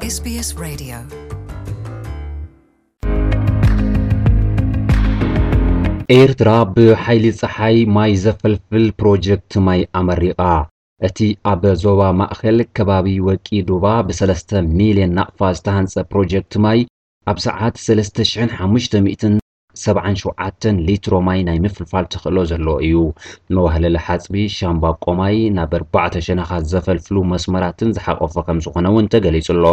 S B S Radio. ኤርትራ ብሓይሊ ጸሓይ ማይ ዘፈልፍል ፕሮጀክት ማይ ኣመሪቓ። እቲ ኣብ ዞባ ማእከል ከባቢ ወቂ ዱባ ብ3 ሚልዮን ናቕፋ ዝተሃንጸ ፕሮጀክት ማይ ኣብ ሰዓት ሰለስተ ሽሕን ሓሙሽተ ሚእትን ሰብዓን ሸውዓተን ሊትሮ ማይ ናይ ምፍልፋል ተኽእሎ ዘለዎ እዩ። መዋህለሊ ሓጽቢ፣ ሻምባ ቆማይ ናብ ኣርባዕተ ሸነኻት ዘፈልፍሉ መስመራትን ዝሓቆፈ ከም ዝኾነ እውን ተገሊጹ ኣሎ።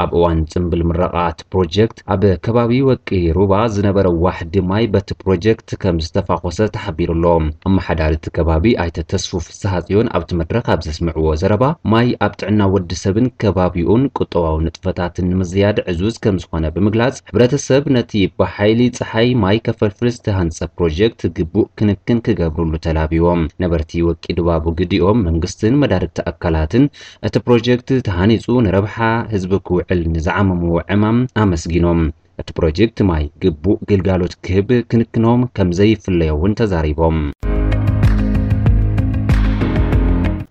ኣብ እዋን ጽምብል ምረቓ እቲ ፕሮጀክት ኣብ ከባቢ ወቂ ሩባ ዝነበረ ዋሕዲ ማይ በቲ ፕሮጀክት ከም ዝተፋኾሰ ተሓቢሩ ኣሎ። ኣመሓዳሪ እቲ ከባቢ ኣይተ ተስፉ ፍስሃጽዮን ኣብቲ መድረኽ ኣብ ዘስምዕዎ ዘረባ፣ ማይ ኣብ ጥዕና ወዲ ሰብን ከባቢኡን ቁጠባዊ ንጥፈታትን ንምዝያድ ዕዙዝ ከም ዝኾነ ብምግላጽ፣ ሕብረተሰብ ነቲ ብሓይሊ ጸሓይ ማይ ከፈልፍል ዝተሃንጸ ፕሮጀክት ግቡእ ክንክን ክገብርሉ ተላብዮም። ነበርቲ ወቂ ዱባ ብግዲኦም መንግስትን መዳርግቲ ኣካላትን እቲ ፕሮጀክት ተሃኒጹ ንረብሓ ህዝቢ ክውዕል ንዝዓመምዎ ዕማም ኣመስጊኖም። እቲ ፕሮጀክት ማይ ግቡእ ግልጋሎት ክህብ ክንክኖም ከም ዘይፍለዮ እውን ተዛሪቦም።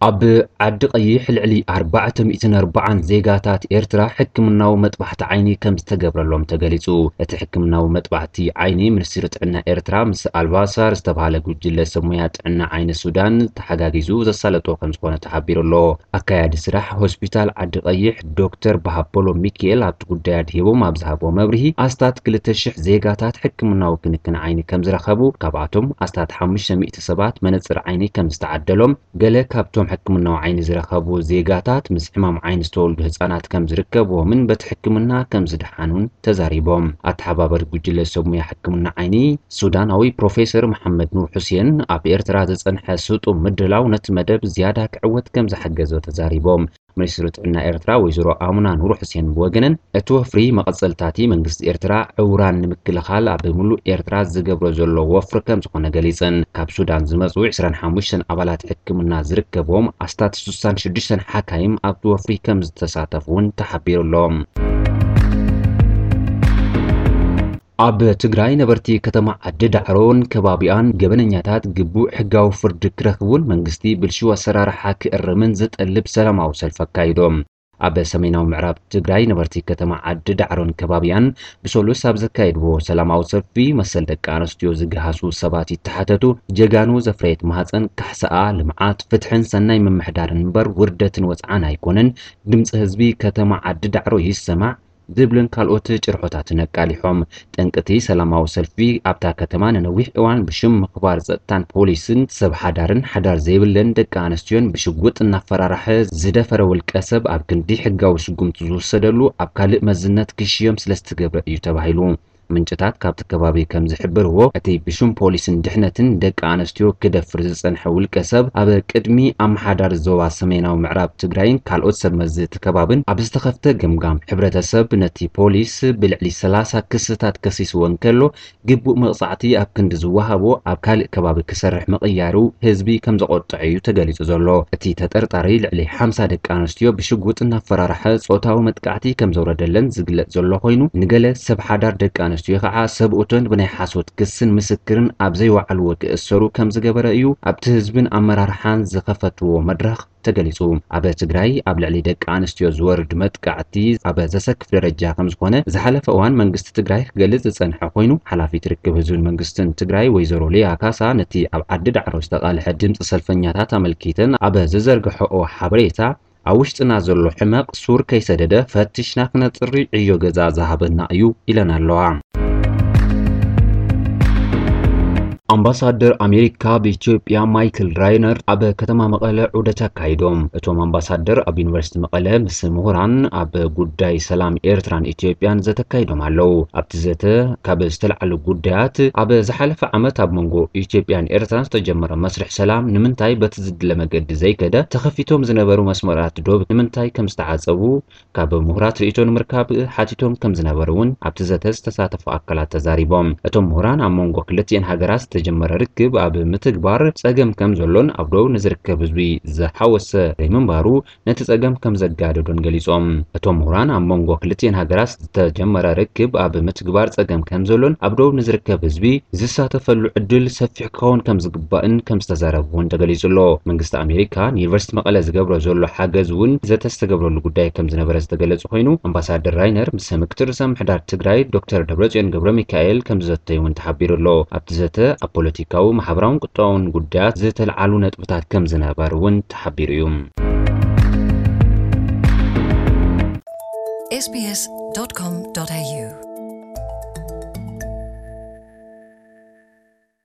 ኣብ ዓዲ ቀይሕ ልዕሊ ኣርባዕተ ሚእትን ኣርባዓን ዜጋታት ኤርትራ ሕክምናዊ መጥባሕቲ ዓይኒ ከም ዝተገብረሎም ተገሊጹ። እቲ ሕክምናዊ መጥባሕቲ ዓይኒ ሚኒስትሪ ጥዕና ኤርትራ ምስ ኣልባሳር ዝተባህለ ጉጅለ ሰብ ሞያ ጥዕና ዓይኒ ሱዳን ተሓጋጊዙ ዘሳለጦ ከም ዝኾነ ተሓቢሩ ኣሎ። ኣካያዲ ስራሕ ሆስፒታል ዓዲ ቀይሕ ዶክተር በሃበሎ ሚካኤል ኣብቲ ጉዳይ ኣድሂቦም ኣብ ዝሃቦ መብርሂ፣ ኣስታት ክልተ ሽሕ ዜጋታት ሕክምናዊ ክንክን ዓይኒ ከም ዝረኸቡ፣ ካብኣቶም ኣስታት ሓሙሽተ ሚእቲ ሰባት መነጽር ዓይኒ ከም ዝተዓደሎም፣ ገለ ካብቶም ሕክምናዊ ዓይኒ ዝረኸቡ ዜጋታት ምስ ሕማም ዓይኒ ዝተወልዱ ህጻናት ከም ዝርከብዎምን በቲ ሕክምና ከም ዝደሓኑን ተዛሪቦም። ኣተሓባበሪ ጉጅለ ሰብ ሞያ ሕክምና ዓይኒ ሱዳናዊ ፕሮፌሰር መሓመድ ኑር ሑሴን፣ ኣብ ኤርትራ ዝጸንሐ ስጡም ምድላው ነቲ መደብ ዝያዳ ክዕወት ከም ዝሓገዞ ተዛሪቦም። ሚኒስትሪ ጥዕና ኤርትራ ወይዘሮ ኣሙና ኑር ሑሴን ብወገነን፣ እቲ ወፍሪ መቐጸልታቲ መንግስቲ ኤርትራ ዕውራን ንምክልኻል ኣብ ምሉእ ኤርትራ ዝገብሮ ዘሎ ወፍሪ ከም ዝኾነ ገሊጸን። ካብ ሱዳን ዝመጹ ዕስራን ሓሙሽተን ኣባላት ሕክምና ዝርከብዎም ኣስታት ስሳን ሽዱሽተን ሓካይም ኣብቲ ወፍሪ ከም ዝተሳተፉ እውን ተሓቢሩ ኣሎ። ኣብ ትግራይ ነበርቲ ከተማ ዓዲ ዳዕሮን ከባቢኣን ገበነኛታት ግቡእ ሕጋዊ ፍርዲ ክረኽቡን መንግስቲ ብልሽው ኣሰራርሓ ክእርምን ዝጠልብ ሰላማዊ ሰልፊ ኣካይዶም። ኣብ ሰሜናዊ ምዕራብ ትግራይ ነበርቲ ከተማ ዓዲ ዳዕሮን ከባቢኣን ብሰሉስ ኣብ ዘካየድዎ ሰላማዊ ሰልፊ መሰል ደቂ ኣንስትዮ ዝገሃሱ ሰባት ይተሓተቱ፣ ጀጋኑ ዘፍረየት ማህፀን ካሕሳኣ፣ ልምዓት፣ ፍትሕን ሰናይ ምምሕዳርን እምበር ውርደትን ወፅዓን ኣይኮነን፣ ድምፂ ህዝቢ ከተማ ዓዲ ዳዕሮ ይሰማዕ፣ ዝብልን ካልኦት ጭርሖታትን ኣቃሊሖም። ጠንቅቲ ሰላማዊ ሰልፊ ኣብታ ከተማ ንነዊሕ እዋን ብሽም ምኽባር ጸጥታን ፖሊስን ሰብ ሓዳርን ሓዳር ዘይብለን ደቂ ኣንስትዮን ብሽጉጥ እናፈራርሐ ዝደፈረ ውልቀ ሰብ ኣብ ክንዲ ሕጋዊ ስጉምቲ ዝውሰደሉ ኣብ ካልእ መዝነት ክሽየም ስለ ዝተገብረ እዩ ተባሂሉ። ምንጭታት ካብቲ ከባቢ ከም ዝሕብርዎ፣ እቲ ብሽም ፖሊስን ድሕነትን ደቂ ኣንስትዮ ክደፍር ዝጸንሐ ውልቀ ሰብ ኣብ ቅድሚ ኣመሓዳሪ ዞባ ሰሜናዊ ምዕራብ ትግራይን ካልኦት ሰብ መዚ እቲ ከባብን ኣብ ዝተኸፍተ ገምጋም፣ ሕብረተሰብ ነቲ ፖሊስ ብልዕሊ ሰላሳ ክስታት ከሲስዎ እንከሎ፣ ግቡእ መቕጻዕቲ ኣብ ክንዲ ዝወሃቦ ኣብ ካልእ ከባቢ ክሰርሕ ምቕያሩ ህዝቢ ከም ዘቖጠዐ እዩ ተገሊጹ ዘሎ። እቲ ተጠርጣሪ ልዕሊ ሓምሳ ደቂ ኣንስትዮ ብሽጉጥ እናፈራርሐ ጾታዊ መጥቃዕቲ ከም ዘውረደለን ዝግለጽ ዘሎ ኮይኑ፣ ንገለ ሰብ ሓዳር ደቂ ኣንስትዮ ከዓ ሰብኡተን ብናይ ሓሶት ክስን ምስክርን ኣብ ዘይወዓልዎ ክእሰሩ ከም ዝገበረ እዩ ኣብቲ ህዝብን ኣመራርሓን ዝኸፈትዎ መድረኽ ተገሊጹ። ኣብ ትግራይ ኣብ ልዕሊ ደቂ ኣንስትዮ ዝወርድ መጥቃዕቲ ኣብ ዘሰክፍ ደረጃ ከም ዝኾነ ዝሓለፈ እዋን መንግስቲ ትግራይ ክገልጽ ዝጸንሐ ኮይኑ፣ ሓላፊት ርክብ ህዝብን መንግስትን ትግራይ ወይዘሮ ሊያ ካሳ ነቲ ኣብ ዓዲ ዳዕሮ ዝተቓልሐ ድምፂ ሰልፈኛታት ኣመልኪተን ኣብ ዝዘርግሐኦ ሓበሬታ፣ ኣብ ውሽጥና ዘሎ ሕመቕ ሱር ከይሰደደ ፈቲሽና ክነጽሪ ዕዮ ገዛ ዝሃበና እዩ ኢለን ኣለዋ። ኣምባሳደር ኣሜሪካ ኣብ ኢትዮጵያ ማይክል ራይነር ኣብ ከተማ መቐለ ዑደት ኣካይዶም። እቶም ኣምባሳደር ኣብ ዩኒቨርሲቲ መቐለ ምስ ምሁራን ኣብ ጉዳይ ሰላም ኤርትራን ኢትዮጵያን ዘተ ኣካይዶም ኣለዉ። ኣብቲ ዘተ ካብ ዝተልዓሉ ጉዳያት፣ ኣብ ዝሓለፈ ዓመት ኣብ መንጎ ኢትዮጵያን ኤርትራን ዝተጀመረ መስርሕ ሰላም ንምንታይ በቲ ዝድለ መገዲ ዘይከደ፣ ተኸፊቶም ዝነበሩ መስመራት ዶብ ንምንታይ ከም ዝተዓጸቡ፣ ካብ ምሁራት ርእይቶ ንምርካብ ሓቲቶም ከም ዝነበሩ እውን ኣብቲ ዘተ ዝተሳተፉ ኣካላት ተዛሪቦም። እቶም ምሁራን ኣብ መንጎ ክልቲኤን ሃገራት ዝተጀመረ ርክብ ኣብ ምትግባር ጸገም ከም ዘሎን ኣብ ደቡብ ንዝርከብ ህዝቢ ዝሓወሰ ዘይምንባሩ ነቲ ጸገም ከም ዘጋደዶን ገሊጾም። እቶም ምሁራን ኣብ መንጎ ክልቲኤን ሃገራት ዝተጀመረ ርክብ ኣብ ምትግባር ጸገም ከም ዘሎን ኣብ ደቡብ ንዝርከብ ህዝቢ ዝሳተፈሉ ዕድል ሰፊሕ ክኸውን ከም ዝግባእን ከም ዝተዛረቡ እውን ተገሊጹ ኣሎ። መንግስቲ ኣሜሪካ ንዩኒቨርሲቲ መቐለ ዝገብሮ ዘሎ ሓገዝ እውን ዘተ ዝተገብረሉ ጉዳይ ከም ዝነበረ ዝተገለጸ ኮይኑ ኣምባሳደር ራይነር ምስ ምክትል ርእሰ ምምሕዳር ትግራይ ዶክተር ደብረጽዮን ገብረ ሚካኤል ከም ዝዘተዩ እውን ተሓቢሩ ኣሎ። ኣብቲ ዘተ ኣብ ፖለቲካዊ፣ ማሕበራውን ቁጠባውን ጉዳያት ዝተልዓሉ ነጥብታት ከም ዝነበሩ እውን ተሓቢሩ እዩ። sbs.com.au